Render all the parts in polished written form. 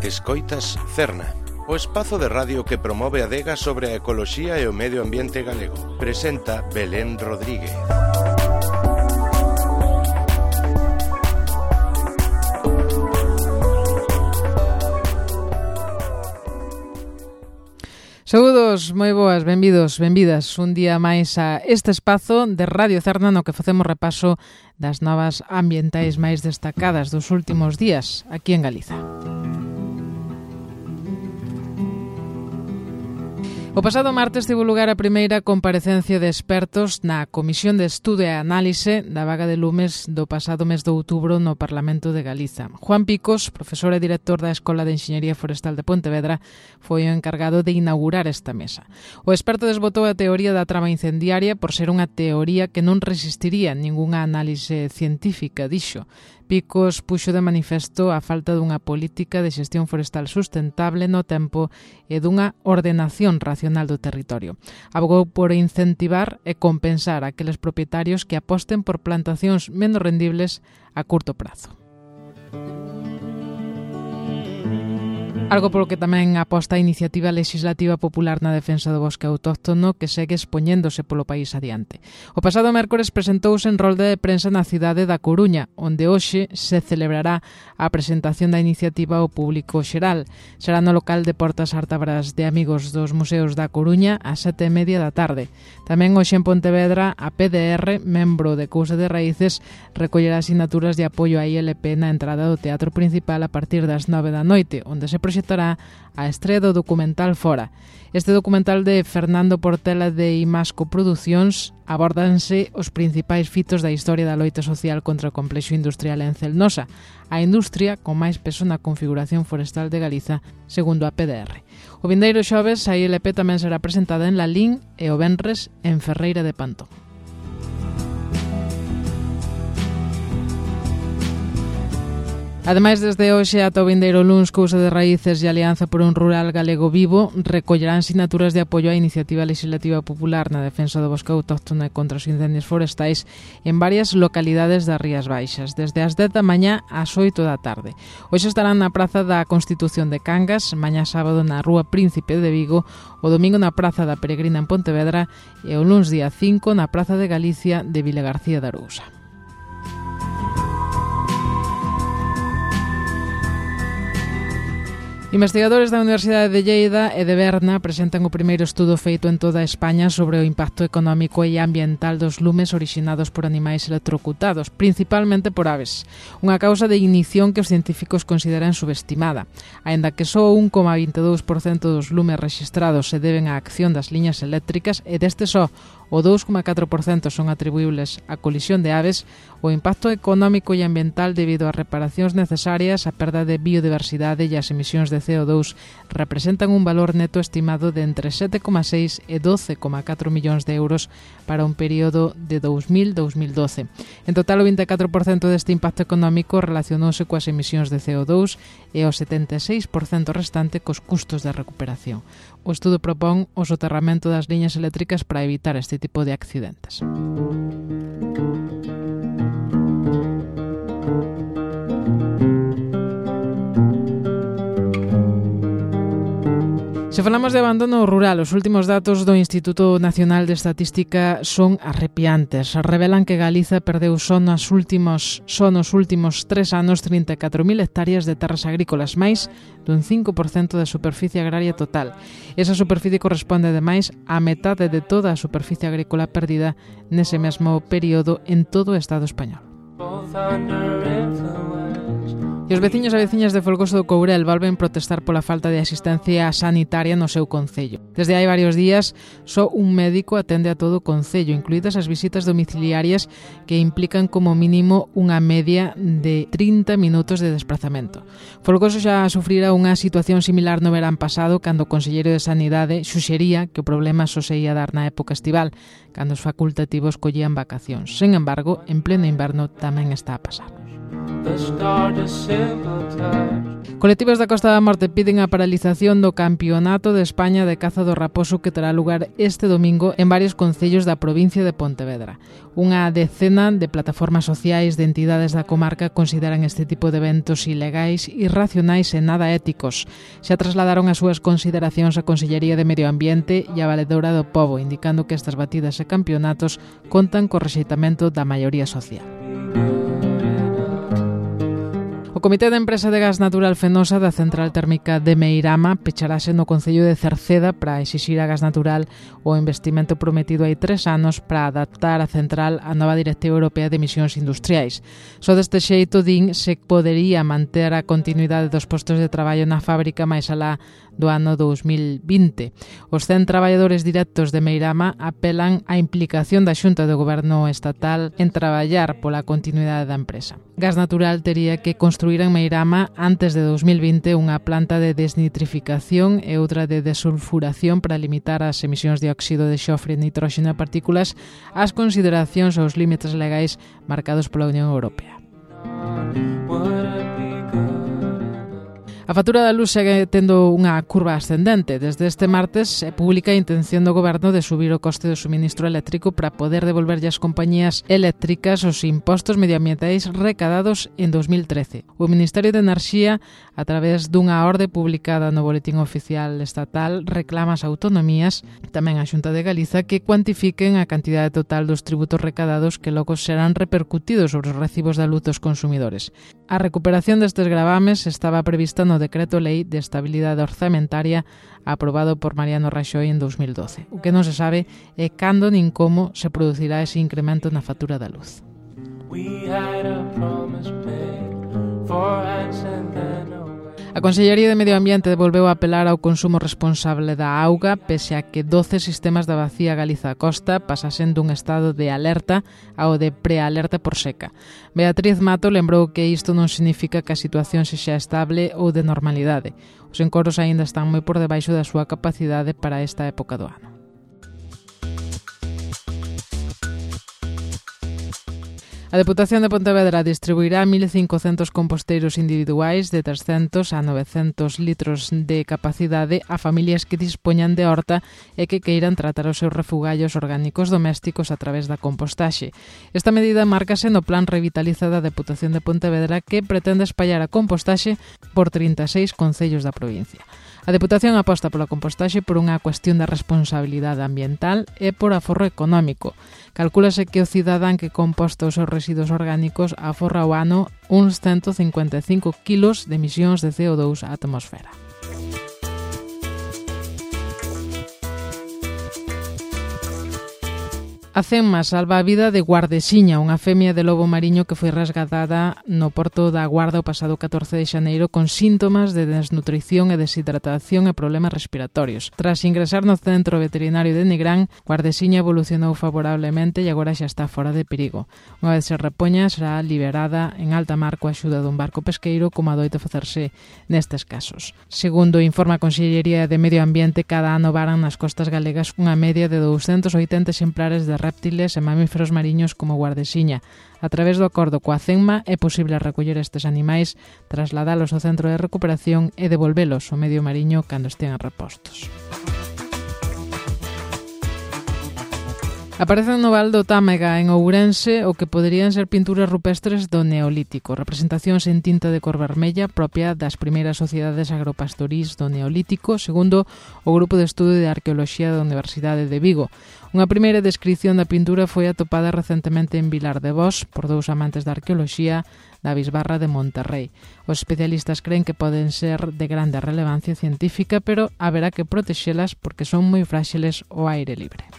Escoitas Cerna, o espazo de radio que promove a adega sobre a ecoloxía e o medio ambiente galego. Presenta Belén Rodríguez. Saúdos, moi boas, benvidos, benvidas un día máis a este espazo de Radio Cerna no que facemos repaso das novas ambientais máis destacadas dos últimos días aquí en Galiza. O pasado martes tivo lugar a primeira comparecencia de expertos na Comisión de Estudo e Análise da vaga de lumes do pasado mes de outubro no Parlamento de Galiza. Juan Picos, profesor e director da Escola de Enxeñería Forestal de Pontevedra, foi o encargado de inaugurar esta mesa. O experto desbotou a teoría da trama incendiaria por ser unha teoría que non resistiría ningunha análise científica, dixo. Picos puxo de manifesto a falta dunha política de xestión forestal sustentable no tempo e dunha ordenación racional do territorio. Abogou por incentivar e compensar aqueles propietarios que aposten por plantacións menos rendibles a curto prazo. Algo polo que tamén aposta a iniciativa legislativa popular na defensa do bosque autóctono que segue expoñéndose polo país adiante. O pasado mércores presentouse en rolda de prensa na cidade da Coruña, onde hoxe se celebrará a presentación da iniciativa ao público xeral. Será no local de Portas Ártabras de Amigos dos Museos da Coruña ás 7:30 da tarde. Tamén hoxe en Pontevedra a PDR, membro de Cousa de Raíces, recollerá asignaturas de apoio á ILP na entrada do Teatro Principal a partir das 9 da noite, onde se proxectará a estrea do documental Fora. Este documental de Fernando Portela de Imasco Producións abórdanse os principais fitos da historia da loita social contra o complexo industrial en Celnosa, a industria con máis peso na configuración forestal de Galiza, segundo a PDR. O vindeiro xoves a ILP tamén será presentada en Lalín e o venres en Ferreira de Pantón. Ademais, desde hoxe ata o vindeiro luns, Cousa de Raíces e Alianza por un Rural Galego Vivo recollerán sinaturas de apoio á iniciativa legislativa popular na defensa do bosque autóctono e contra os incendios forestais en varias localidades das Rías Baixas, desde as 10 da mañá ás 8 da tarde. Hoxe estarán na Praza da Constitución de Cangas, mañá sábado na Rúa Príncipe de Vigo, o domingo na Praza da Peregrina en Pontevedra e o luns día 5 na Praza de Galicia de Vilagarcía de Arousa. Investigadores da Universidade de Lleida e de Berna presentan o primeiro estudo feito en toda España sobre o impacto económico e ambiental dos lumes orixinados por animais electrocutados, principalmente por aves. Unha causa de ignición que os científicos consideran subestimada. Aínda que só 1,22% dos lumes rexistrados se deben á acción das liñas eléctricas e deste só o 2,4% son atribuíbles á colisión de aves, o impacto económico e ambiental debido ás reparacións necesarias, a perda de biodiversidade e as emisións de CO2 representan un valor neto estimado de entre 7,6 e 12,4 millóns de euros para un período de 2000-2012. En total, o 24% deste impacto económico relacionouse coas emisións de CO2 e o 76% restante cos custos de recuperación. O estudo propón o soterramento das liñas eléctricas para evitar este tipo de accidentes. Se falamos de abandono rural, os últimos datos do Instituto Nacional de Estatística son arrepiantes. Revelan que Galiza perdeu só nos últimos 3 anos 34.000 hectáreas de terras agrícolas, máis dun 5% da superficie agraria total. Esa superficie corresponde, ademais, á metade de toda a superficie agrícola perdida nese mesmo período en todo o Estado español. E os veciños e veciñas de Folgoso do Courel volven protestar pola falta de asistencia sanitaria no seu concello. Desde hai varios días, só un médico atende a todo o concello, incluídas as visitas domiciliarias que implican como mínimo unha media de 30 minutos de desplazamento. Folgoso xa sufrira unha situación similar no verán pasado, cando o conselleiro de Sanidade suxería que o problema só se ia dar na época estival, cando os facultativos collían vacacións. Sen embargo, en pleno inverno tamén está a pasar. Colectivos da Costa da Morte piden a paralización do Campeonato de España de caza do raposo que terá lugar este domingo en varios concellos da provincia de Pontevedra. Unha decena de plataformas sociais de entidades da comarca consideran este tipo de eventos ilegais, irracionais e nada éticos. Xa trasladaron as súas consideracións á Consellería de Medio Ambiente e a Valedora do Pobo, indicando que estas batidas e campeonatos contan co rexeitamento da maioría social. O Comité de Empresa de Gas Natural Fenosa da Central Térmica de Meirama pecharase no concello de Cerceda para exixir a Gas Natural o investimento prometido hai 3 anos para adaptar a central á nova Directiva Europea de Emisións Industriais. Só deste xeito, din, se podería manter a continuidade dos postos de traballo na fábrica máis alá do ano 2020. Os 100 traballadores directos de Meirama apelan á implicación da Xunta de Goberno Estatal en traballar pola continuidade da empresa. Gas Natural tería que construir en Meirama antes de 2020 unha planta de desnitrificación e outra de desulfuración para limitar as emisións de óxido de xofre e nitróxeno e partículas ás consideracións aos límites legais marcados pola Unión Europea. A factura da luz segue tendo unha curva ascendente. Desde este martes se publica a intención do Goberno de subir o coste do suministro eléctrico para poder devolverlle ás compañías eléctricas os impostos medioambientais recadados en 2013. O Ministerio de Enerxía, a través dunha orde publicada no Boletín Oficial Estatal, reclama as autonomías, tamén a Xunta de Galiza, que cuantifiquen a cantidade total dos tributos recadados que logo serán repercutidos sobre os recibos da luz dos consumidores. A recuperación destes gravames estaba prevista no Decreto Lei de Estabilidade Orzamentaria aprobado por Mariano Raxoi en 2012. O que non se sabe é cando nin como se producirá ese incremento na factura da luz. A Consellería de Medio Ambiente volveu a apelar ao consumo responsable da auga, pese a que 12 sistemas da Bacía Galiza Costa pasasen dun estado de alerta ao de prealerta por seca. Beatriz Mato lembrou que isto non significa que a situación sexa estable ou de normalidade. Os encoros aínda están moi por debaixo da súa capacidade para esta época do ano. A Deputación de Pontevedra distribuirá 1.500 composteiros individuais de 300 a 900 litros de capacidade a familias que dispoñan de horta e que queiran tratar os seus refugallos orgánicos domésticos a través da compostaxe. Esta medida márcase no Plan Revitaliza da Deputación de Pontevedra, que pretende espallar a compostaxe por 36 concellos da provincia. A Deputación aposta pola compostaxe por unha cuestión de responsabilidade ambiental e por aforro económico. Calcúlase que o cidadán que composta os seus residuos orgánicos aforra ao ano uns 155 kilos de emisións de CO2 á atmosfera. A CEMMA salva a vida de Guardesiña, unha femia de lobo mariño que foi resgatada no porto da Guarda o pasado 14 de xaneiro con síntomas de desnutrición e deshidratación e problemas respiratorios. Tras ingresar no centro veterinario de Nigrán, Guardesiña evolucionou favorablemente e agora xa está fora de perigo. Unha vez se repoña, será liberada en alta mar coa axuda dun barco pesqueiro, como adoita facerse nestes casos. Segundo informa a Consellería de Medio Ambiente, cada ano varan nas costas galegas unha media de 280 exemplares de reptiles e mamíferos mariños como Guardesiña. A través do acordo coa CEMMA é posible recoller estes animais, trasladalos ao centro de recuperación e devolvelos ao medio mariño cando estean repostos. Aparecen no Val do Támega, en Ourense, o que poderían ser pinturas rupestres do Neolítico, representacións en tinta de cor vermella propia das primeiras sociedades agropastorís do Neolítico, segundo o Grupo de Estudo de Arqueoloxía da Universidade de Vigo. Unha primeira descrición da pintura foi atopada recentemente en Vilar de Vós por dous amantes da arqueoloxía da Bisbarra de Monterrey. Os especialistas creen que poden ser de grande relevancia científica, pero haberá que protexelas porque son moi fráxiles ao aire libre.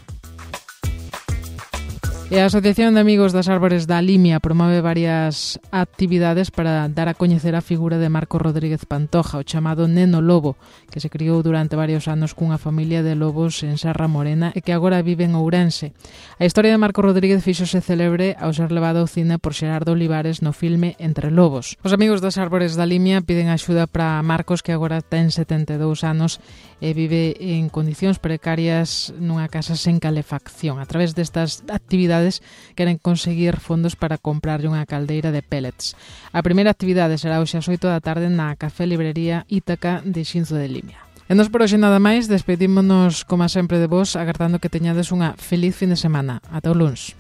E a Asociación de Amigos das Árbores da Limia promove varias actividades para dar a coñecer a figura de Marco Rodríguez Pantoja, o chamado Neno Lobo, que se criou durante varios anos cunha familia de lobos en Serra Morena e que agora vive en Ourense. A historia de Marco Rodríguez fíxose célebre ao ser levado ao cine por Xerardo Olivares no filme Entre Lobos. Os Amigos das Árbores da Limia piden axuda para Marcos, que agora ten 72 anos e vive en condicións precarias nunha casa sen calefacción. A través destas actividades universidades queren conseguir fondos para comprarlle unha caldeira de pellets. A primeira actividade será hoxe ás 8 da tarde na Café Librería Ítaca de Xinzo de Limia. E nos por hoxe nada máis, despedímonos como sempre de vos, agardando que teñades unha feliz fin de semana. Ata o luns.